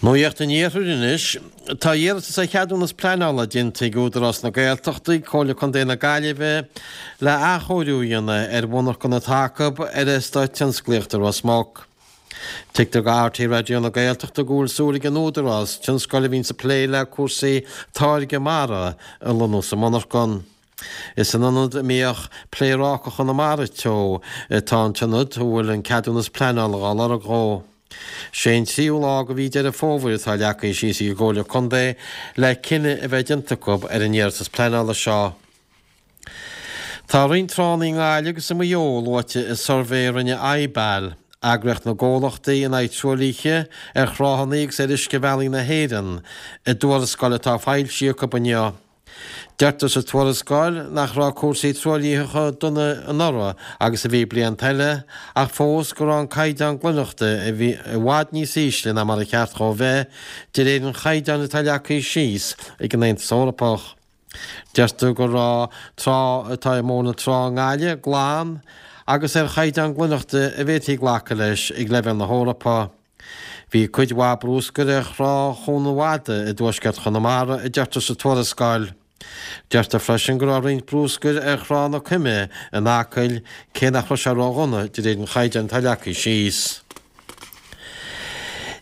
Nuacht an Iarthair anois. Tá iarratas ar cheadúnas pleanála déanta ag Údarás na Gaeltachta ag Comhairle Contae na Gaillimhe le athchóiriú a dhéanamh ar mhonarchan atá acu ar Eastát Tionsclaíochta Ros Muc. Tuigtear do RTÉ Raidió na Gaeltachta go bhfuil súil ag an Údarás tionscal a bhíonns ag plé le cúrsaí táirgeadh mara a lonnú sa monarchan. Is san ionad a mbíodh Pléarácacha na Mara Teo atá an t-ionad a bhfuil an ceadúnas pleanála dhá lorg dhó. Sé an tríú lá de mhí Deireadh Fómhair atá leagtha síos ag an gComhairle Contae le cinneadh a bheith déanta acu ar an iarratas pleanála seo. Tá roinnt tránna i nGaillimh agus i Maigh Eo luaite i suirbhé a rinne IBAL, eagraíocht na gcomhlachtaí in aghaidh truaillithe ar thránna agus ar uiscebhealaí na hÉireann, i dtuarascáil atá foilsithe acu inniu. Deirtear sa tuarascáil nach raibh cúrsaí truaillithe chomh dona anuraidh agus a bhí blianta eile, ach fós go raibh an caighdeán glaineachta i bhfad níos ísle ná mar a cheart dhó bheith, de réir an chaighdeáin atá leagtha síos ag an Aontas Eorpach. Deirtear go raibh trá atá i mBóthar na Trá i nGaillimh glan agus ar chaighdeán glaineachta a bhféadfaí glacadh leis ag leibhéal na hEorpa. Bhí cuid mhaith brúscair ar thrá Chuan an Mhadaidh i dtuaisceart Chonamara, a deirtear sa tuarascáil. Deirtear freisin go raibh roinnt brúscair ar thrá na Coime in Acaill, cé nach raibh sé ródhona de réir an chaighdeáin atá leagtha síos.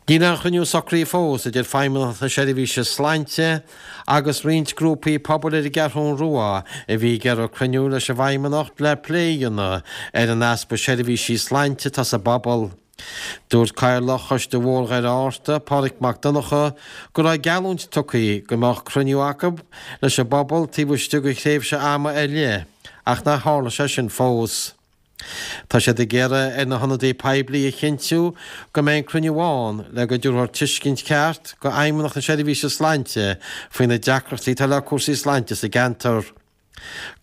Níl aon chruinniú socraithe fós idir Feidhmeannacht na Seirbhíse Sláinte agus roinnt grúpaí pobail ar an gCeathrún Rua a bhí ag iarraidh cruinniú leis an bhFeidhmeannacht le plé a dhéanamh ar an easpa seirbhísí sláinte atá sa bpobal. Dúirt Cathaoirleach Choiste Mhór Dhoire Fhátharta, Pádraig Mac Donncha, go raibh geallúint tugtha go mbeadh cruinniú acu leis an bpobal taobh istigh de thréimhse ama ar leith ach nár tharla sé sin fós. Tá siad ag iarraidh ar na hionadaithe poiblí a chinntiú go mbeidh an cruinniú ann le go dtabharfar tuiscint cheart go Fheidhmeannacht na Seirbhíse Sláinte faoi na deacrachtaí atá le cúrsaí sláinte sa gceantar.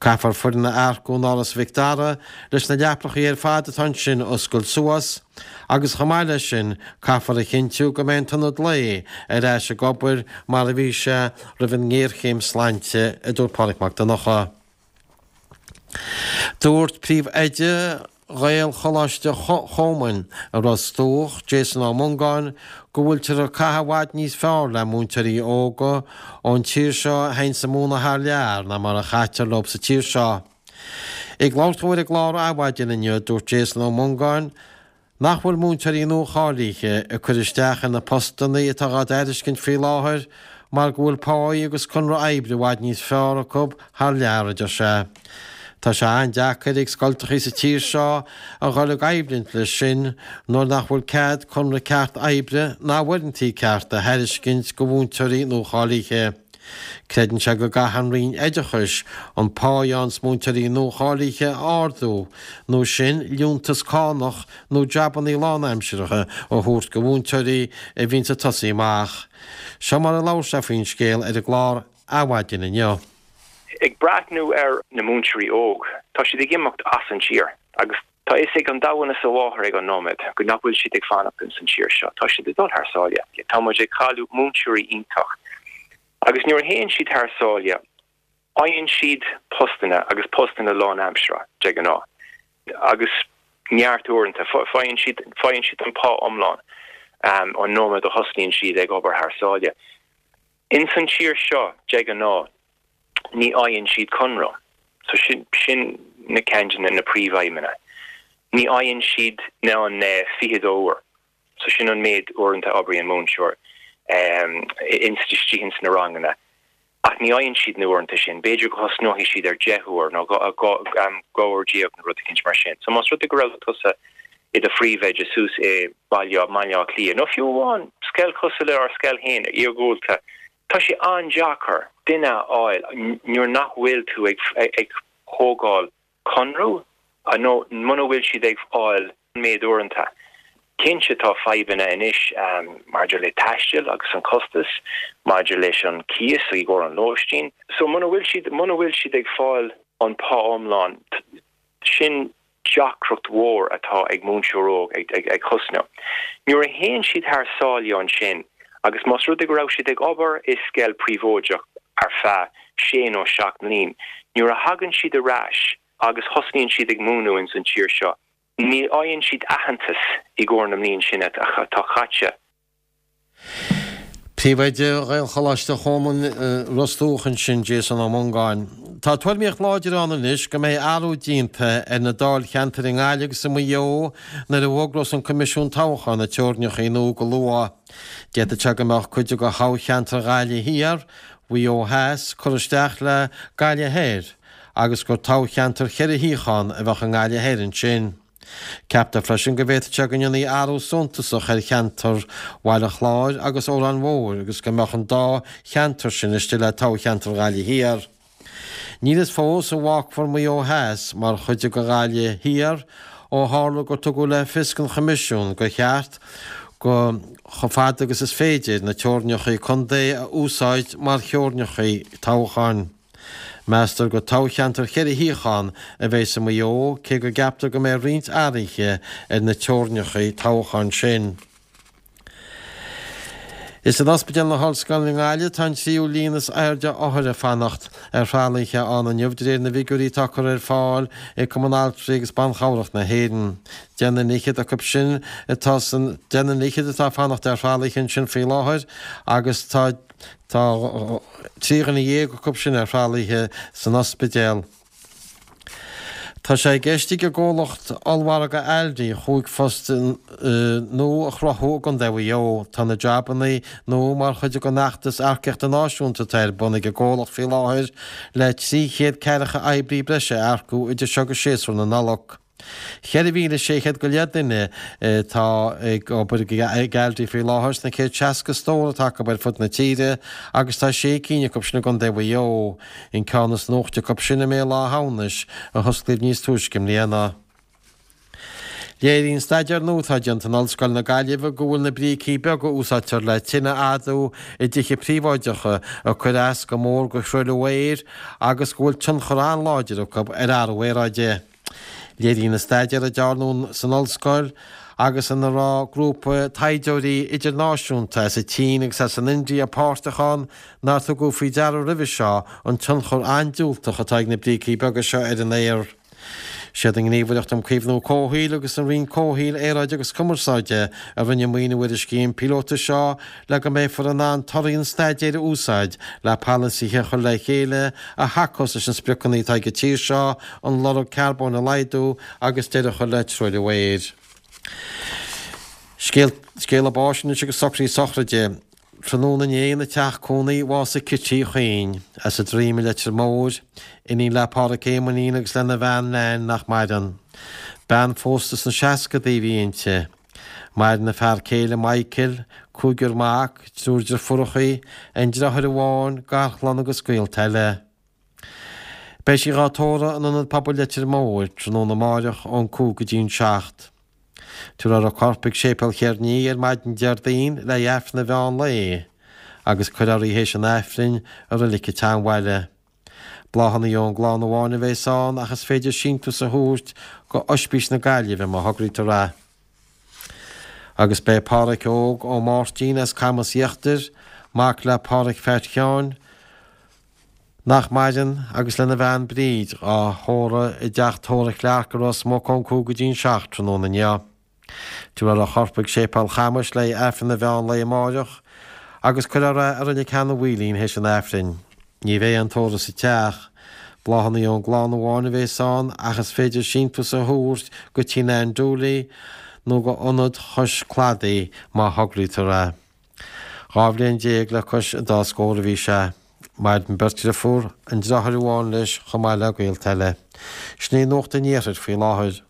Caithfear foireann a earcú in Áras Mhic Dara leis na leapacha ar fad atá ansin a oscailt suas agus chomh maith leis sin caithfear a chinntiú go mbeidh an t-ionad lae ar ais ag obair mar a bhí sé roimh an ngéarchéim sláinte, a dúirt Pádraig Mac Donncha. Dúirt Príomhoide Ghaelcholáiste Chomáin i Ros Dumhach, Jason Ó Mongáin, go bhfuiltear ag caitheamh i bhfad níos fearr le múinteoirí óga ón tír seo a théanns ag múineadh thar lear ná mar a chaitear leo sa tír seo. Ag labhairt dó ar an gclár Adhmhaidin inniu, dúirt Jason Ó Mongáin, Nach bhfuil múinteoirí nua-cháilithe ag cur isteach ar na postanna atá dhá dtairiscint faoi láthair mar go bhfuil páí agus conradh oibre i bhfad níos fearr acu thar lear, a deir sé. Tá sé an-deacair ag scoltachaí sa tír seo a dhul i gcoimhlint leis sin nuair nach bhfuil cead conradh ceart oibre ná uaireantaí cearta a thairiscint go mhúinteoirí nua-cháilithe. Creideann sé go gcaithfidh an Roinn Oideachais an pá a fhaigheanns múinteoirí nuacháilithe a ardú, nó sin liúntas cánach nó jabannaí lánaimseartha a thabhairt go mhúinteoirí a bhíonns ag tosaí amach. Seo mar a labhair sé faoin scéal ar an gclár Adhmhaidin inniu. Ag breathnú ar na múinteoirí óg, tá siad ag imeacht as an tír agus Tá fhios ag an domhan is a mháthair ag an nóiméad go nach bhfuil siad ag fanacht ins an tír seo. Tá siad ag dul thar sáile. Tá muid ag cailleadh múinteoirí iontach. Agus nuair a théann siad thar sáile, faigheann siad postanna agus postanna lánaimseartha, de ghnáth. Agus neart uaireanta, faigheann siad, faigheann siad an pá iomlán an nóiméad a thosnaíonn siad ag obair thar sáile. Ins an tír seo, de ghnáth, ní fhaigheann siad conradh. So sin, sin na ceann de na príomhfhadhbanna. Ní fhaigheann siad na an 22 uair. So sin an méid uaireanta a oibríonn múinteoir ins istigh ins na ranganna. Ach ní fhaigheann siad na uaireanta sin. B'fhéidir go thosnóidh siad ar 10 uair nó 12 uair nó rud eicínt mar sin. So más rud é go raibh tusa i do phríomhoide suas i Baile, mBaile Átha Cliath nó fiú amháin scoil cosúil le ár scoil féin, iargúlta, Tá sé an-deacair duine a fháil nuair nach bhfuil tú ag thógáil conradh nó muna bhfuil siad ag fáil an méid uaireanta. Cinnte tá fadhbanna anois maidir le taisteal agus an costas, maidir leis an cíos i gcomhair an lóistín. So muna bhfuil siad, muna bhfuil siad ag fáil an pá iomlán, sin deacracht mhór atá ag múinteoir óg ag thosnú. Nuair a théann siad thar sáile ansin agus más rud é go raibh siad ag obair i scoil príobháideach ar feadh sé nó seacht mbliain, nuair a thagann siad ar ais agus thosnaíonn siad ag múineadh ins an tír seo, ní fhaigheann siad aitheantas i gcomhair na mbliain sin atá caite. Príomhoide Ghaelcholáiste Chrónáin i Ros Dumhach ansin, Jason Ó Mongáin. Tá tuairimíocht láidir ann anois go mbeidh athrú déanta ar na dáilcheantair i nGaillimh agus i Maigh Eo nuair a bhfógrós an Coimisiún Toghcháin na teorainneacha nua go luath. D'fhéadfadh sé go mbeadh cuid de thoghcheantar Ghaillimh Thiar, Mhaigh Eo Theas curtha isteach le Gaillimh Thoir agus gur toghcheantar cheithre shuíochán a bheadh i nGaillimh Thoir ansin. Ceaptar freisin go bhféadfadh sé go ndéanfaí athrú suntasach ar cheantar Bhaile Chláir agus Órán Mhóir agus go mbeadh an dá cheantar sin istigh le toghcheantar Ghaillimh Thiar. Níl fhios fós an bhfágfar Maigh Eo Theas mar chuid de Ghaillimh Thiar ó tharla gur tugadh le fios don Choimisiún gur cheart go chomh fada agus is féidir na teorainneacha contae a úsáid mar theorainneacha toghcháin. Meastar gur toghcheantar cheithre shuíochán a bheas i Maigh Eo, cé go gceaptar go mbeidh roinnt athruithe ar na teorainneacha toghcháin sin. Is in Ospidéal na hOllscoile i nGaillimh atá an tríú líon is airde othair ag fanacht ar thralaithe ann inniu, de réir na bhfigiúirí atá curtha ar fáil ag Cumann Altraí agus Ban Chabhrach na hÉireann. Deich nduine fhichead acu sin atá san deich nduine fhichead atá ag fanacht ar thralaithe ansin faoi láthair agus tá Tá 13 dhuine acu sin ar thralaithe san ospidéal. Tá sé i gceist ag an gcomhlacht ollmhargaidh Aldi chúig phost nua a chruthú i gContae Mhaigh Eo. Tá na jabanna nua mar chuid den fheachtas earcaíochta náisiúnta atá ar bun ag an gcomhlacht faoi láthair le 340 oibrí breise a earcú idir seo agus séasúr na Nollag. 4,600 go leith duine atá ag obair ag Aldi faoi láthair sna 160 stór atá acu ar fud na tíre agus tá sé cinn acu sin i gContae Mhaigh Eo. An ceann is nuachta acu sin i mBéal Átha hAmhnais a hosclaíodh níos túisce i mbliana. Léiríonn staidéar nua atá déanta in Ollscoil na Gaillimhe go bhfuil na brící beaga a úsáidtear le tine a fhadú i dtithe príobháideacha ag cur as go mór go thruailliú aeir agus go bhfuil tionchar an-láidir acu ar athrú aeráide. Léiríonn an staidéar a dearnadh san ollscoil agus ina raibh grúpa taighdeoirí idirnáisiúnta as an tSín agus as an India páirteach ann nár tugadh faoi deara roimhe seo an tionchar an-diúltach atá ag na brící beaga seo ar an aer. Siad an Ghníomhaireacht um Caomhnú Comhshaoil agus an Roinn Comhshaoil, Aeráide agus Cumarsáide a rinne maoiniú ar an scéim píolóta seo le go mbeifear in ann torthaí an staidéir a úsáid le polasaithe a chur le chéile a thacós leis na spriocanna atá ag an tír seo an lorg carbóin a laghdú agus deireadh a chur le truailliú aeir. Scéala báis anois agus socruithe sochraide. Tráthnóna inné ina teach cónaí bhásaigh Cití Chuinn, as an Droim i Leitir Móir, iníon le Pádhraic Éamoinín agus lena bhean Nan nach maireann. Bean phósta sna seascadaí a bhí inti. Maireann a fear céile Michael, cúigear mac, triúr deirfiúrachaí, aon deartháir amháin, garchlann agus gaolta eile. Beidh sí dhá tórramh in Ionad Pobail Leitir Móir tráthnóna amáireach ón 5 go dtí an 7. Tabharfar a corp ag Séipéal Cheirní ar maidin Déardaoin le haghaidh Aifreann an mheán lae agus cuirfear í théis an Aifrinn i Reilig an tSeanbhaile. Bláthanna ón gclann amháin a bheas ann ach is féidir síntiús a thabhairt go Oispís na Gaillimhe má thograítear é. Agus beidh Pádhraic Óg Ó Máirtín as Camas Íochtair, mac le Pádhraic Pheait Sheáin, nach maireann, agus lena bhean Bríd, á thórramh i dteach tórraimh Clarke i Ros Muc ón 5 go dtí an 7 tráthnóna inniu. Tabharfar a chorp ag Séipéal Chamais le haghaidh Aifreann an mheán lae amáireach agus cuirfear é i Reilig Sheanadh Mhaoilín théis an Aifrinn. Ní bheidh aon tórramh sa teach. Bláthanna ón gclann amháin a bheas ann ach is féidir síntiús a thabhairt go tí Nan Dooley nó go Ionad Chois Cladaigh má thograítear é. 12 bhliain le cois an dá scór a bhí sé. Maireann beirt dhriofúr, an deartháir amháin leis chomh maith le gaolta eile. Sin í nuacht an iarthair faoi láthair.